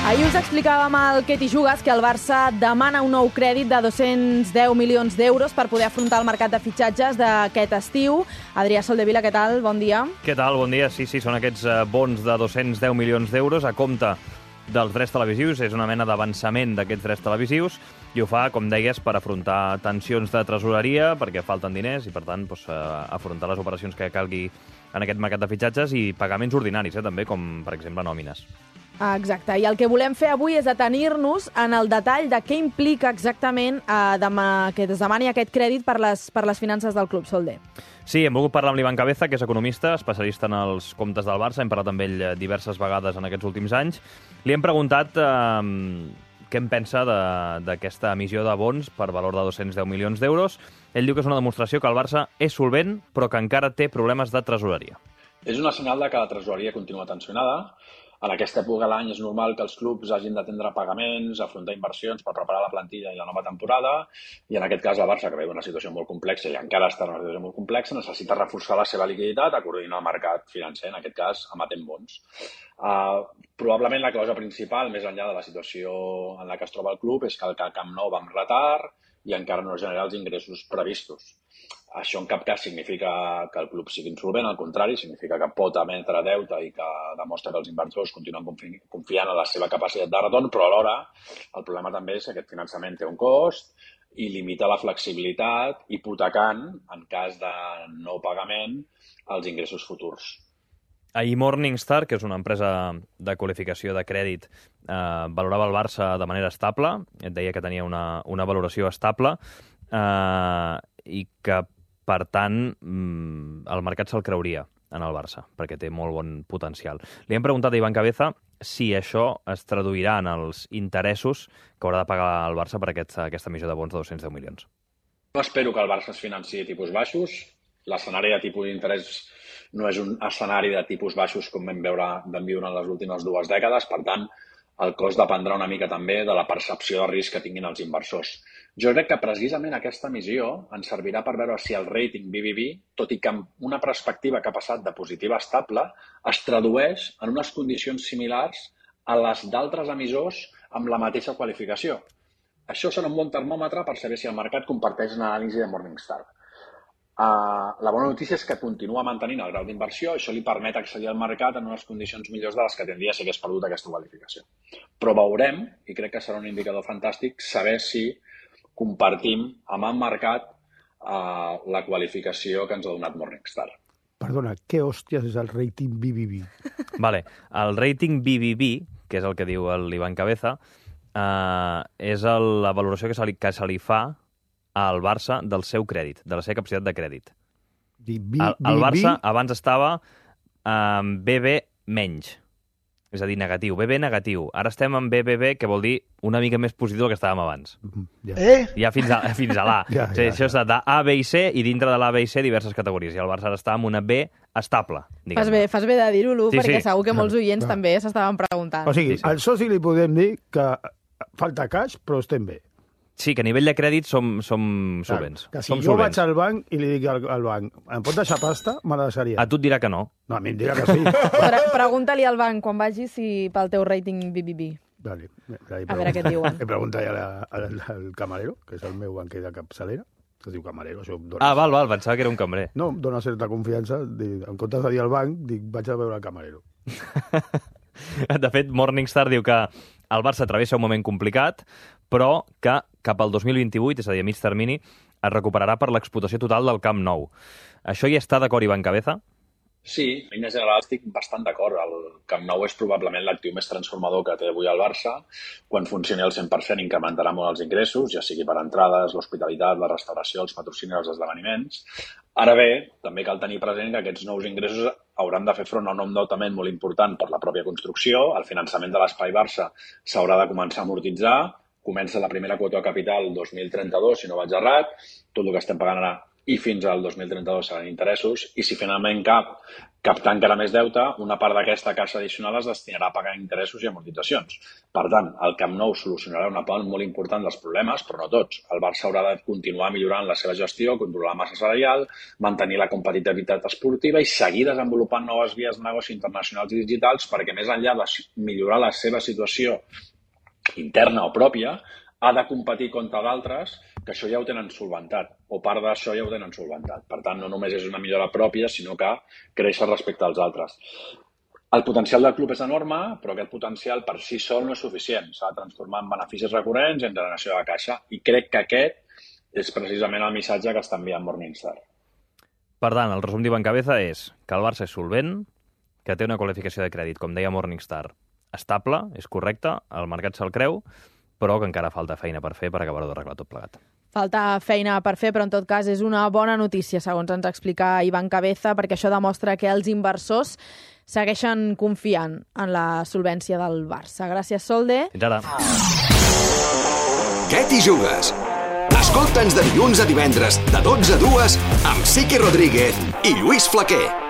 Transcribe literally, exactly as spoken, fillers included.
Ahir us explicàvem al Què t'hi jugues que el Barça demana un nou crèdit de dos-cents deu milions d'euros per poder afrontar el mercat de fitxatges d'aquest estiu. Adrià Soldevila, què tal? Bon dia. Què tal? Bon dia. Sí, sí, són aquests bons de dos-cents deu milions d'euros a compte dels drets televisius. És una mena d'avançament d'aquests drets televisius i ho fa, com deies, per afrontar tensions de tresoreria, perquè falten diners i, per tant, doncs, afrontar les operacions que calgui en aquest mercat de fitxatges i pagaments ordinaris, eh, també, com, per exemple, nòmines. Exacte, i el que volem fer avui és detenir-nos en el detall de què implica exactament eh, que es demani aquest crèdit per les, per les finances del club, Solder. Sí, hem volgut parlar amb l'Ivan Cabeza, que és economista, especialista en els comptes del Barça. Hem parlat amb ell diverses vegades en aquests últims anys. Li hem preguntat eh, què en pensa d'aquesta emissió de bons per valor de dos-cents deu milions d'euros. Ell diu que és una demostració que el Barça és solvent, però que encara té problemes de tresoreria. És una senyal de que la tresoreria continua tensionada. En aquesta època de l'any és normal que els clubs hagin d'atendre pagaments, afrontar inversions per preparar la plantilla i la nova temporada, i en aquest cas el Barça, que veu una situació molt complexa i encara està en una situació molt complexa, necessita reforçar la seva liquiditat, coordinar el mercat financer, en aquest cas emetent bons. Uh, probablement la causa principal, més enllà de la situació en la que es troba el club, és que el Camp Nou va amb retard i encara no genera els ingressos previstos. Això en cap cas significa que el club sigui insolvent, al contrari, significa que pot emetre deute i que demostra que els inversors continuen confi confiant en la seva capacitat de retorn, però alhora el problema també és que aquest finançament té un cost i limita la flexibilitat, hipotecant, en cas de no pagament, els ingressos futurs. Ahir Morningstar, que és una empresa de qualificació de crèdit, eh, valorava el Barça de manera estable, et deia que tenia una, una valoració estable, eh, i que, per tant, el mercat se'l creuria en el Barça, perquè té molt bon potencial. Li hem preguntat a Ivan Cabeza si això es traduirà en els interessos que haurà de pagar el Barça per aquesta, aquesta emissió de bons de dos-cents deu milions. No espero que el Barça es financi a tipus baixos. L'escenari de tipus d'interès no és un escenari de tipus baixos com vam veure, vam viure en les últimes dues dècades. Per tant, el cost dependrà una mica també de la percepció de risc que tinguin els inversors. Jo crec que precisament aquesta emissió ens servirà per veure si el rating B B B, tot i que amb una perspectiva que ha passat de positiva a estable, es tradueix en unes condicions similars a les d'altres emissors amb la mateixa qualificació. Això serà un bon termòmetre per saber si el mercat comparteix l'anàlisi de Morningstar. Uh, la bona notícia és que continua mantenint el grau d'inversió, això li permet accedir al mercat en unes condicions millors de les que tindria si hagués perdut aquesta qualificació. Però veurem, i crec que serà un indicador fantàstic, saber si compartim amb el mercat uh, la qualificació que ens ha donat Morningstar. Perdona, què hòsties és el rating B B B? Vale, el rating B B B, que és el que diu l'Ivan Cabeza, uh, és el, la valoració que se li, que se li fa al Barça del seu crèdit, de la seva capacitat de crèdit. B, el, el Barça abans estava en B B menys, és a dir, negatiu, B B negatiu. Ara estem en B B B, que vol dir una mica més positiu del que estàvem abans. Ja, Eh? Ja fins a, fins a l'A. Ja, Sí, ja, això ja. és de A, B i C, i dintre de l'A, B i C diverses categories. I el Barça ara està amb una B estable, diguem-ne. Fas bé, fas bé de dir-ho, Lu, Sí, perquè sí. segur que molts oients Clar. també s'estaven preguntant. O sigui, Sí, sí. al soci li podem dir que falta cash, però estem bé. Sí, que a nivell de crèdit som, som solvents. Que si som jo solvents. vaig al banc i li dic al, al banc, em pot deixar pasta? Me la deixaria. A tu et dirà que no. No, a mi em dirà que sí. Pre Pregunta-li al banc quan vagis si pel teu rating B B B. Vale. A veure què et diuen. He preguntat ja al, al camarero, que és el meu banquer de capçalera, que es diu camarero, això em dona... Ah, val, val, pensava que era un cambrer. No, em dona certa confiança. Dic, en comptes de dir al banc, dic, vaig a veure el camarero. De fet, Morningstar diu que el Barça travessa un moment complicat, però que cap al dos mil vint-i-vuit, és a dir, a mig termini, es recuperarà per l'explotació total del Camp Nou. Això hi està d'acord, Ivan Cabeza? Sí, en línies generals estic bastant d'acord. El Camp Nou és probablement l'actiu més transformador que té avui el Barça. Quan funcioni al cent per cent incrementarà molt els ingressos, ja sigui per entrades, l'hospitalitat, la restauració, els patrocinis, els esdeveniments. Ara bé, també cal tenir present que aquests nous ingressos hauran de fer front a un endeutament molt important per la pròpia construcció. El finançament de l'Espai Barça s'haurà de començar a amortitzar. Comença la primera quota de capital el dos mil trenta-dos, si no vaig errat. Tot el que estem pagant ara i fins al dos mil trenta-dos seran interessos, i si finalment cap captar encara més deute, una part d'aquesta caixa addicional es destinarà a pagar interessos i amortitzacions. Per tant, el Camp Nou solucionarà una part molt important dels problemes, però no tots. El Barça haurà de continuar millorant la seva gestió, controlar la massa salarial, mantenir la competitivitat esportiva i seguir desenvolupant noves vies de negoci internacionals i digitals perquè, més enllà de millorar la seva situació interna o pròpia, ha de competir contra d'altres que això ja ho tenen solventat, o part d'això ja ho tenen solventat. Per tant, no només és una millora pròpia, sinó que creix respecte als altres. El potencial del club és enorme, però aquest potencial per si sol no és suficient. S'ha de transformar en beneficis recurrents i en generació de caixa. I crec que aquest és precisament el missatge que està enviant Morningstar. Per tant, el resum d'Ivan Cabeza és que el Barça és solvent, que té una qualificació de crèdit, com deia Morningstar, estable, és correcte, el mercat se'l creu, però que encara falta feina per fer per acabar-ho d'arreglar tot plegat. Falta feina per fer, però en tot cas és una bona notícia, segons ens explica Ivan Cabeza, perquè això demostra que els inversors segueixen confiant en la solvència del Barça. Gràcies, Solde. Fins ara. Què t'hi jugues? Escolta'ns de dilluns a divendres, de dotze a dues, amb Siqui Rodríguez i Lluís Flaquer.